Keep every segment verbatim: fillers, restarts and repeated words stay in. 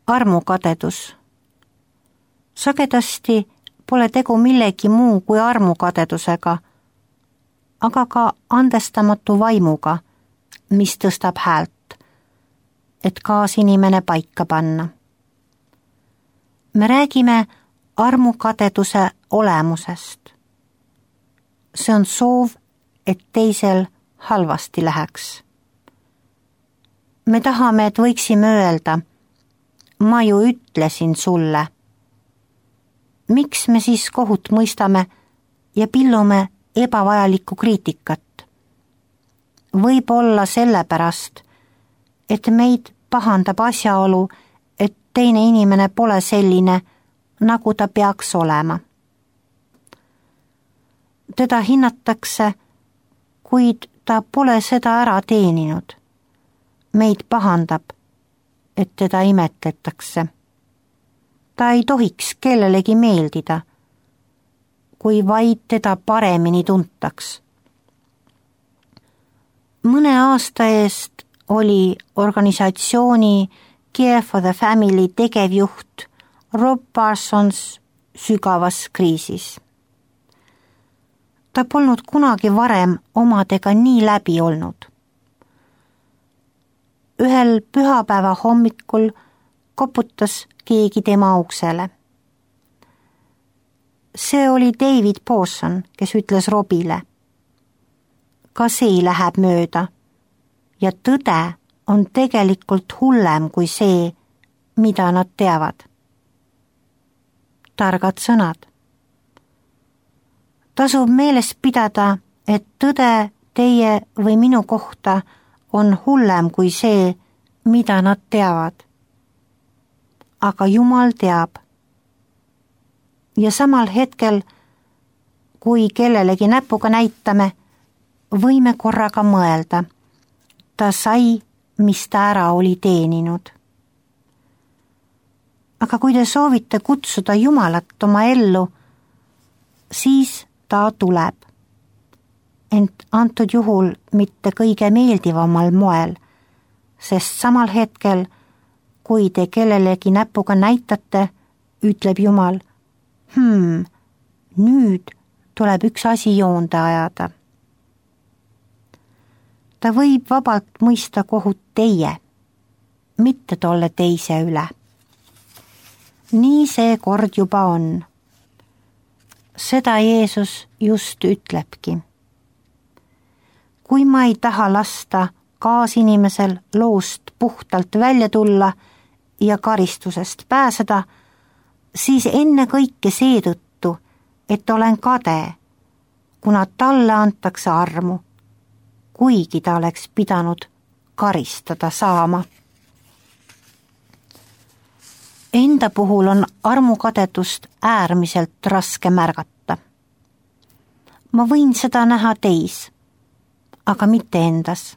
Armukadedus. Sagedasti pole tegu millegi muu kui armukadedusega, aga ka andestamatu vaimuga, mis tõstab häält, et kaasinimene paika panna. Me räägime armukadeduse olemusest. See on soov, et teisel halvasti läheks. Me tahame, et võiksime öelda, ma ju ütlesin sulle. Miks me siis kohut mõistame ja pillume ebavajalikku kriitikat? Võib-olla sellepärast, et meid pahandab asjaolu, et teine inimene pole selline, nagu ta peaks olema. Teda hinnatakse, kuid ta pole seda ära teeninud. Meid pahandab, et teda imetletakse. Ta ei tohiks kellelegi meeldida, kui vaid teda paremini tuntaks. Mõne aasta eest oli organisatsiooni Care for the Family tegevjuht Rob Parsons sügavas kriisis. Ta polnud kunagi varem omadega nii läbi olnud. Ühel pühapäeva hommikul koputas keegi tema uksele. See oli David Pawson, kes ütles Robile. Ka see läheb mööda ja tõde on tegelikult hullem kui see, mida nad teavad. Targad sõnad. Tasub meeles pidada, et tõde teie või minu kohta on hullem kui see, mida nad teavad. Aga Jumal teab. Ja samal hetkel, kui kellelegi näpuga näitame, võime korraga mõelda. Ta sai, mis ta ära oli teeninud. Aga kui te soovite kutsuda Jumalat oma ellu, siis ta tuleb. Ent antud juhul mitte kõige meeldivamal moel, sest samal hetkel, kui te kellelegi näpuga näitate, ütleb Jumal, hmm, nüüd tuleb üks asi joonde ajada. Ta võib vabalt mõista kohut teie, mitte tolle teise üle. Nii see kord juba on. Seda Jeesus just ütlebki. Kui ma ei taha lasta kaasinimesel loost puhtalt välja tulla ja karistusest pääseda, siis enne kõike seetõttu, et olen kade, kuna talle antakse armu, kuigi ta oleks pidanud karistada saama. Enda puhul on armukadedust äärmiselt raske märgata. Ma võin seda näha teis, aga mitte endas.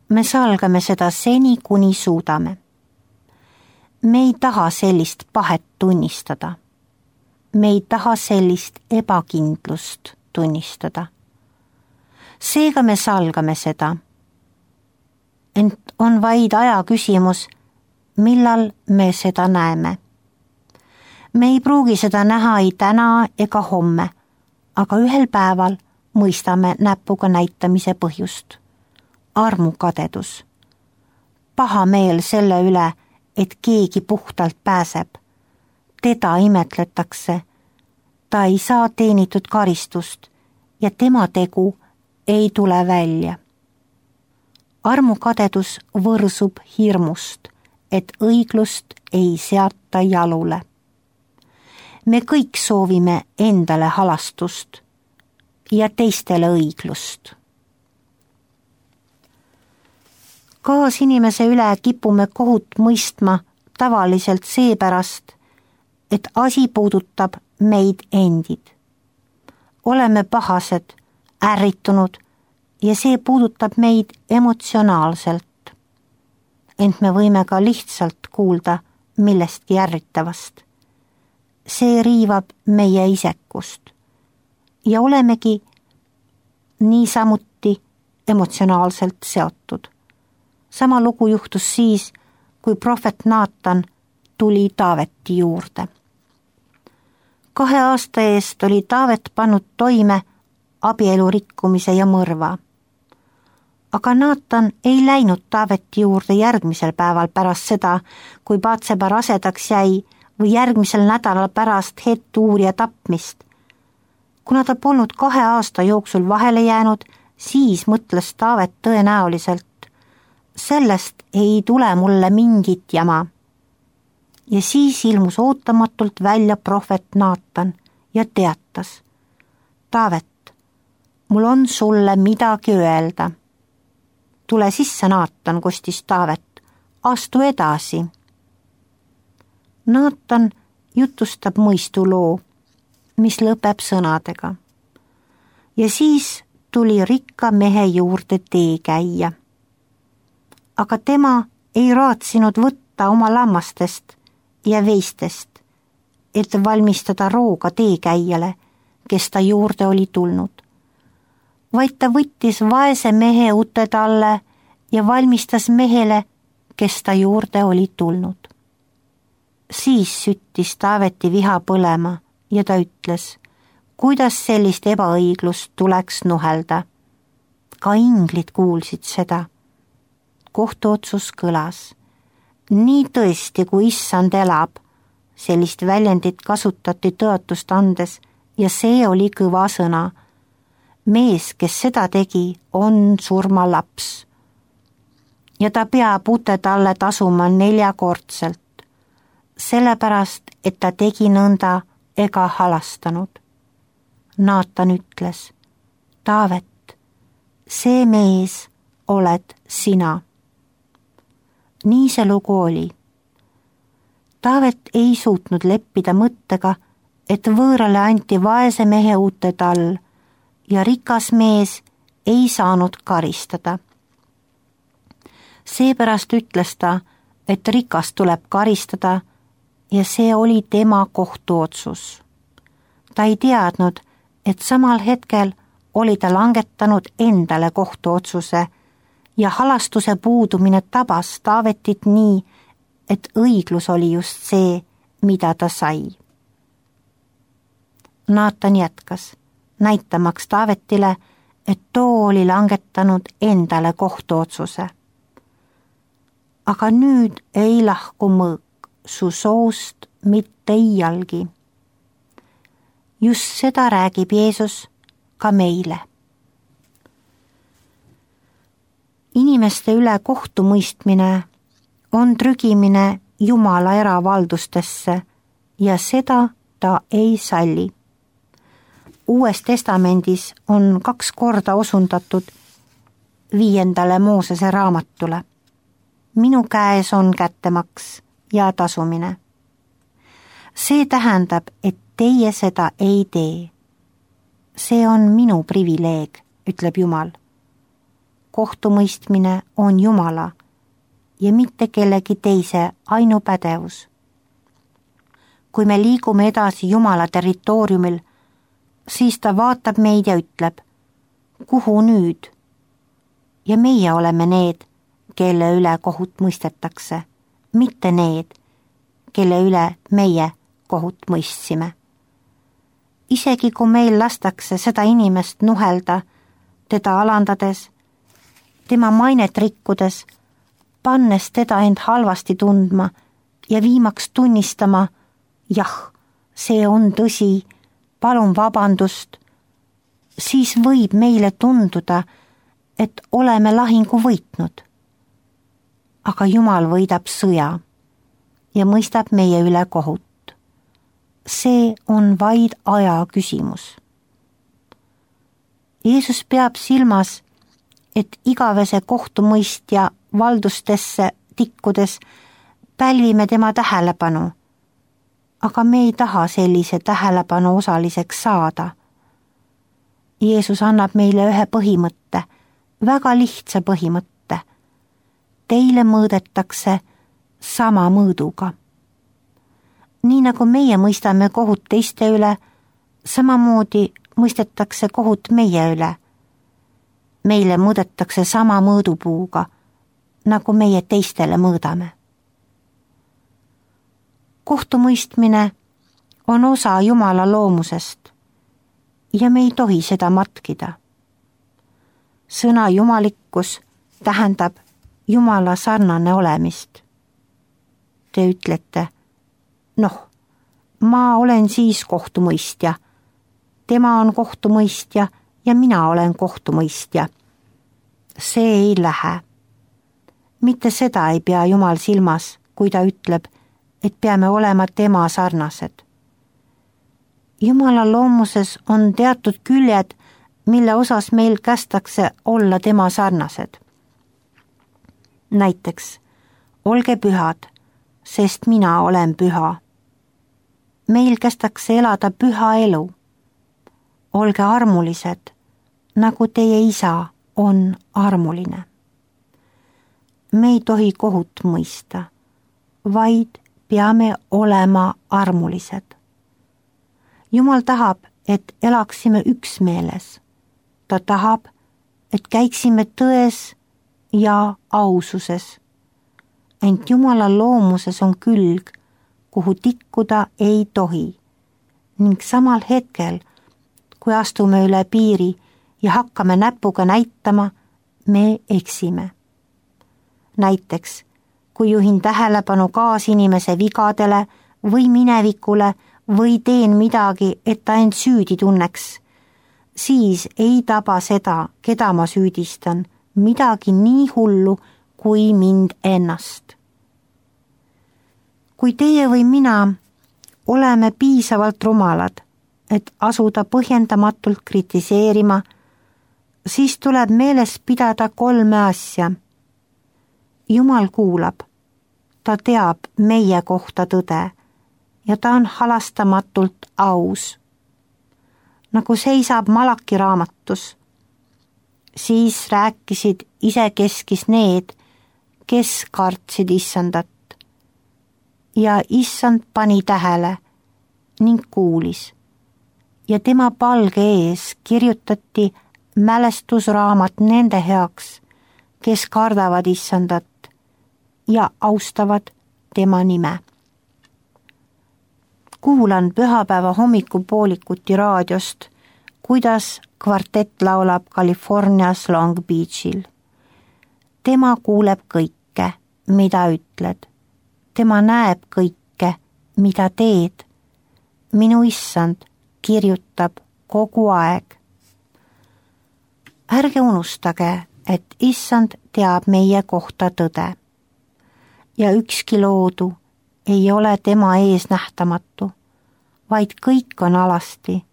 Me salgame seda seni, kuni suudame. Me ei taha sellist pahet tunnistada. Me ei taha sellist ebakindlust tunnistada. Seega me salgame seda. Ent on vaid aja küsimus, millal me seda näeme. Me ei pruugi seda näha ei täna ega homme, aga ühel päeval mõistame näpuga näitamise põhjust. Armukadedus. Paha meel selle üle, et keegi puhtalt pääseb. Teda imetletakse. Ta ei saa teenitud karistust ja tema tegu ei tule välja. Armukadedus võrsub hirmust, et õiglust ei seata jalule. Me kõik soovime endale halastust ja teistele õiglust. Kaasinimese üle kipume kohut mõistma tavaliselt seepärast, et asi puudutab meid endid. Oleme pahased, ärritunud ja see puudutab meid emotsionaalselt. Ent me võime ka lihtsalt kuulda millestki ärritavast. See riivab meie isekust ja olemegi niisamuti emotsionaalselt seotud. Sama lugu juhtus siis, kui prohvet Naatan tuli Taaveti juurde. Kahe aasta eest oli Taavet pannud toime abielu rikkumise ja mõrva. Aga Naatan ei läinud Taaveti juurde järgmisel päeval pärast seda, kui Batseba rasedaks jäi või järgmisel nädalal pärast Het-Uurija tapmist. Kuna ta polnud kahe aasta jooksul vahele jäänud, siis mõtles Taavet tõenäoliselt, sellest ei tule mulle mingit jama. Ja siis ilmus ootamatult välja prohvet Naatan ja teatas: Taavet, mul on sulle midagi öelda. Tule sisse, Naatan, kostis Taavet, astu edasi. Naatan jutustab mõistuloo, mis lõpeb sõnadega. Ja siis tuli rikka mehe juurde tee käia. Aga tema ei raatsinud võtta oma lammastest ja veistest, et valmistada rooga teekäijale, kes ta juurde oli tulnud. Vaid ta võttis vaese mehe ute talle ja valmistas mehele, kes ta juurde oli tulnud. Siis süttis Taaveti viha põlema ja ta ütles, kuidas sellist ebaõiglust tuleks nuhelda. Ka inglid kuulsid seda. Kohtuotsus kõlas. Nii tõesti, kui issand elab, sellist väljendit kasutati tõotust andes ja see oli kõva sõna. Mees, kes seda tegi, on surmalaps. Ja ta peab ute talle tasuma neljakordselt, sellepärast, et ta tegi nõnda ega halastanud. Naatan ütles, Taavet, see mees oled sina. Nii see lugu oli. Taavet ei suutnud leppida mõttega, et võõrale anti vaese mehe ute tall ja rikas mees ei saanud karistada. Seepärast ütles ta, et rikas tuleb karistada ja see oli tema kohtuotsus. Ta ei teadnud, et samal hetkel oli ta langetanud endale kohtuotsuse ja halastuse puudumine tabas Taavetit nii, et õiglus oli just see, mida ta sai. Naatan jätkas, näitamaks Taavetile, et too oli langetanud endale kohtuotsuse. Aga nüüd ei lahku mõõk su soost mitte iialgi. Just seda räägib Jeesus ka meile. Inimeste üle kohtumõistmine on trügimine Jumala eravaldustesse ja seda ta ei salli. Uues testamendis on kaks korda osundatud viiendale Moosese raamatule. Minu käes on kättemaks ja tasumine. See tähendab, et teie seda ei tee. See on minu privileeg, ütleb Jumal. Kohtumõistmine on Jumala ja mitte kellegi teise ainupädevus. Kui me liigume edasi Jumala territooriumil, siis ta vaatab meid ja ütleb, kuhu nüüd? Ja meie oleme need, kelle üle kohut mõistetakse, mitte need, kelle üle meie kohut mõistsime. Isegi kui meil lastakse seda inimest nuhelda, teda alandades, tema mainet rikkudes, pannes teda end halvasti tundma ja viimaks tunnistama, jah, see on tõsi, palun vabandust, siis võib meile tunduda, et oleme lahingu võitnud. Aga Jumal võidab sõja ja mõistab meie üle kohut. See on vaid aja küsimus. Jeesus peab silmas, et igavese kohtumõistja valdustesse tikkudes pälvime tema tähelepanu, aga me ei taha sellise tähelepanu osaliseks saada. Jeesus annab meile ühe põhimõtte, väga lihtsa põhimõtte. Teile mõõdetakse sama mõõduga. Nii nagu meie mõistame kohut teiste üle, samamoodi mõistetakse kohut meie üle. Meile mõõdetakse sama mõõdupuuga, nagu meie teistele mõõdame. kohtumõistmine on osa Jumala loomusest ja me ei tohi seda matkida. Sõna jumalikkus tähendab Jumala sarnane olemist. Te ütlete, noh, ma olen siis kohtumõistja, tema on kohtumõistja ja mina olen kohtumõistja. See ei lähe. Mitte seda ei pea Jumal silmas, kui ta ütleb, et peame olema tema sarnased. Jumala loomuses on teatud küljed, mille osas meil kästakse olla tema sarnased. Näiteks, olge pühad, sest mina olen püha. Meil kästakse elada püha elu. Olge armulised, nagu teie isa on armuline. Me ei tohi kohut mõista, vaid peame olema armulised. Jumal tahab, et elaksime üksmeeles. Ta tahab, et käiksime tões ja aususes. Ent Jumala loomuses on külg, kuhu tikkuda ei tohi. Ning samal hetkel, kui astume üle piiri ja hakkame näpuga näitama, me eksime. Näiteks, kui juhin tähelepanu kaasinimese vigadele või minevikule või teen midagi, et ta end süüdi tunneks, siis ei taba seda, keda ma süüdistan, midagi nii hullu kui mind ennast. Kui teie või mina oleme piisavalt rumalad, et asuda põhjendamatult kritiseerima, siis tuleb meeles pidada kolme asja. Jumal kuulab, ta teab meie kohta tõde ja ta on halastamatult aus. Nagu seisab Malaki raamatus, siis rääkisid isekeskis need, kes kartsid issandat. Ja issand pani tähele ning kuulis ja tema palge ees kirjutati mälestusraamat nende heaks, kes kardavad issandat ja austavad tema nime. Kuulan pühapäeva hommikupoolikuti raadiost, kuidas kvartett laulab Californias Long Beachil. Tema kuuleb kõike, mida ütled. Tema näeb kõike, mida teed. Minu issand kirjutab kogu aeg. Ärge unustage, et issand teab meie kohta tõde. Ja ükski loodu ei ole tema ees nähtamatu, vaid kõik on alasti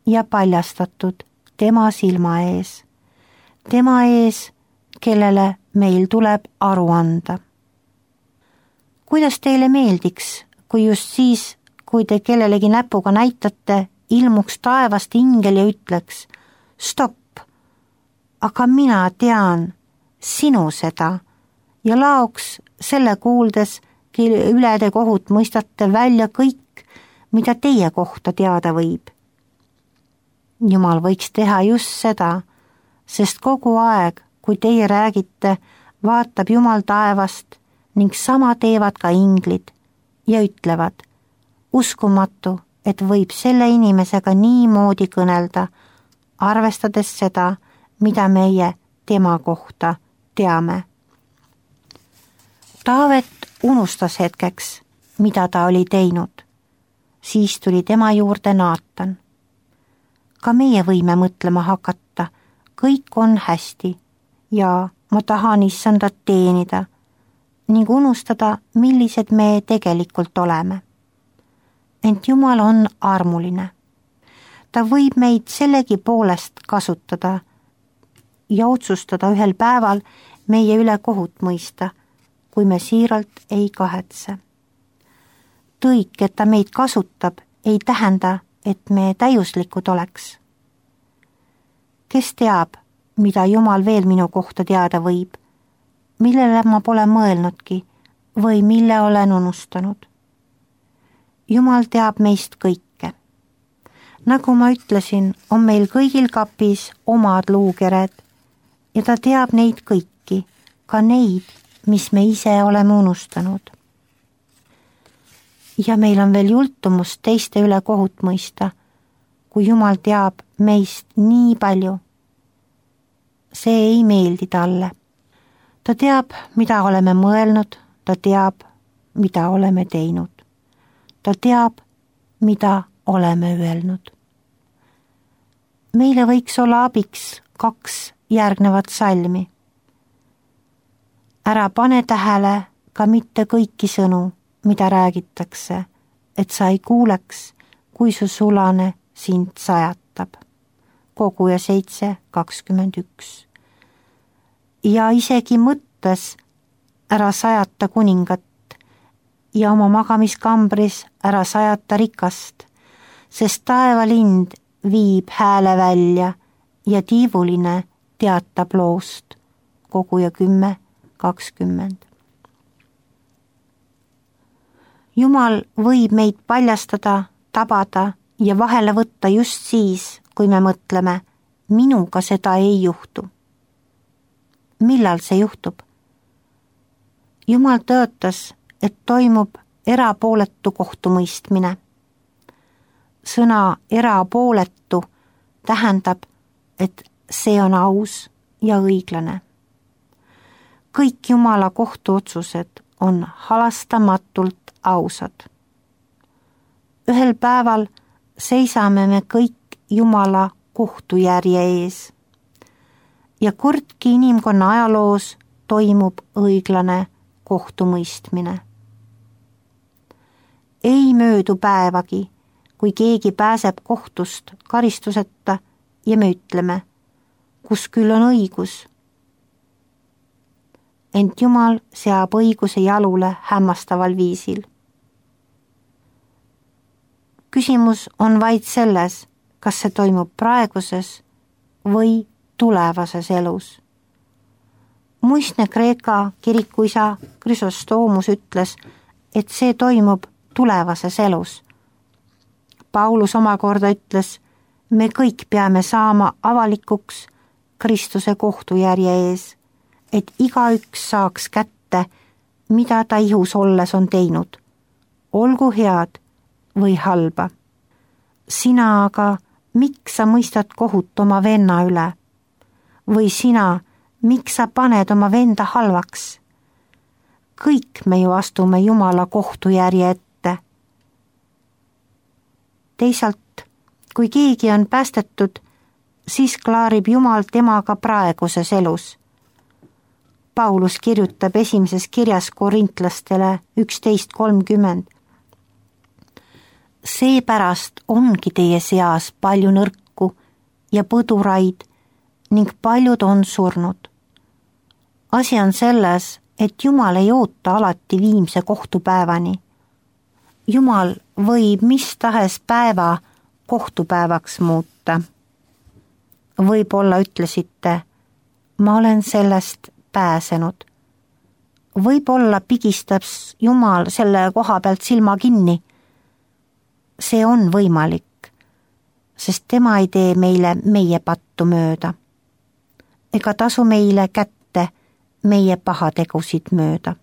ja paljastatud tema silma ees. Tema ees, kellele meil tuleb aru anda. Kuidas teile meeldiks, kui just siis, kui te kellelegi näpuga näitate, ilmuks taevast ingel ja ütleks, stopp, aga mina tean sinu seda ja laoks selle kuuldes, kelle üle te kohut mõistate välja kõik, mida teie kohta teada võib. Jumal võiks teha just seda, sest kogu aeg, kui teie räägite, vaatab Jumal taevast ning sama teevad ka inglid ja ütlevad, uskumatu, et võib selle inimesega niimoodi kõnelda, arvestades seda, mida meie tema kohta teame. Taavet unustas hetkeks, mida ta oli teinud. Siis tuli tema juurde Naatan. Ka meie võime mõtlema hakata, kõik on hästi ja ma tahan issandat teenida ning unustada, millised me tegelikult oleme. Ent Jumal on armuline. Ta võib meid sellegi poolest kasutada ja otsustada ühel päeval meie üle kohut mõista, kui me siiralt ei kahetse. Tõik, et ta meid kasutab, ei tähenda, et me täiuslikud oleks. Kes teab, mida Jumal veel minu kohta teada võib, millele ma pole mõelnudki või mille olen unustanud. Jumal teab meist kõike. Nagu ma ütlesin, on meil kõigil kapis omad luukered ja ta teab neid kõiki, ka neid, mis me ise oleme unustanud. ja meil on veel jultumus teiste üle kohut mõista, kui Jumal teab meist nii palju. See ei meeldi talle. Ta teab, mida oleme mõelnud, ta teab, mida oleme teinud. Ta teab, mida oleme öelnud. Meile võiks olla abiks kaks järgnevat salmi. Ära pane tähele ka mitte kõiki sõnu, mida räägitakse, et sa ei kuuleks, kui su sulane sind sajatab. Koguja seitse kakskümmend üks. Ja isegi mõttes ära sajata kuningat ja oma magamiskambris ära sajata rikast, sest taevalind viib hääle välja ja tiivuline teatab loost. Koguja kümme kakskümmend. Jumal võib meid paljastada, tabada ja vahele võtta just siis, kui me mõtleme, minuga seda ei juhtu. Millal see juhtub? Jumal tõotas, et toimub erapooletu kohtumõistmine. Sõna erapooletu tähendab, et see on aus ja õiglane. Kõik Jumala kohtuotsused on halastamatult ausad. Ühel päeval seisame me kõik Jumala kohtujärje ees ja kordki inimkonna ajaloos toimub õiglane kohtumõistmine. Ei möödu päevagi, kui keegi pääseb kohtust karistuseta ja me ütleme, kus küll on õigus. Ent Jumal seab õiguse jalule hämmastaval viisil. Küsimus on vaid selles, kas see toimub praeguses või tulevases elus. Muistne Kreeka kirikuisa Chrysostoomus ütles, et see toimub tulevases elus. Paulus omakorda ütles, me kõik peame saama avalikuks Kristuse kohtujärje ees, et igaüks saaks kätte, mida ta ihus olles on teinud, olgu head või halba. Sina aga, miks sa mõistad kohut oma venna üle? Või sina, miks sa paned oma venda halvaks? Kõik me ju astume Jumala kohtujärje ette. Teisalt, kui keegi on päästetud, siis klaarib Jumal temaga praeguses elus. Paulus kirjutab esimeses kirjas korintlastele üksteist kolmkümmend. Seepärast ongi teie seas palju nõrku ja põduraid ning paljud on surnud. Asi on selles, et Jumal ei oota alati viimse kohtupäevani. Jumal võib mis tahes päeva kohtupäevaks muuta. Võib-olla ütlesite, ma olen sellest pääsenud. Võib-olla pigistab Jumal selle koha pealt silma kinni. See on võimalik, sest tema ei tee meile meie pattu mööda. Ega tasu meile kätte meie pahategusid mööda.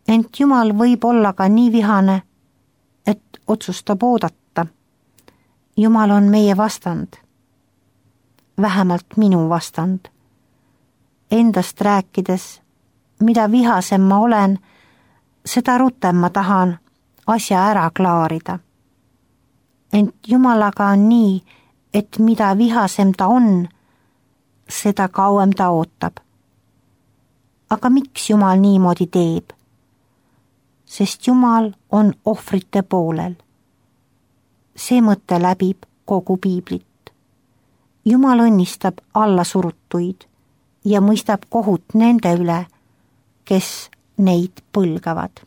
Ent Jumal võib olla ka nii vihane, et otsustab oodata. Jumal on meie vastand. Vähemalt minu vastand. Endast rääkides, mida vihasem ma olen, seda rutem ma tahan asja ära klaarida. Ent Jumalaga on nii, et mida vihasem ta on, seda kauem ta ootab. Aga miks Jumal niimoodi teeb? Sest Jumal on ohvrite poolel. See mõte läbib kogu piiblit. Jumal õnnistab allasurutuid ja mõistab kohut nende üle, kes neid põlgavad.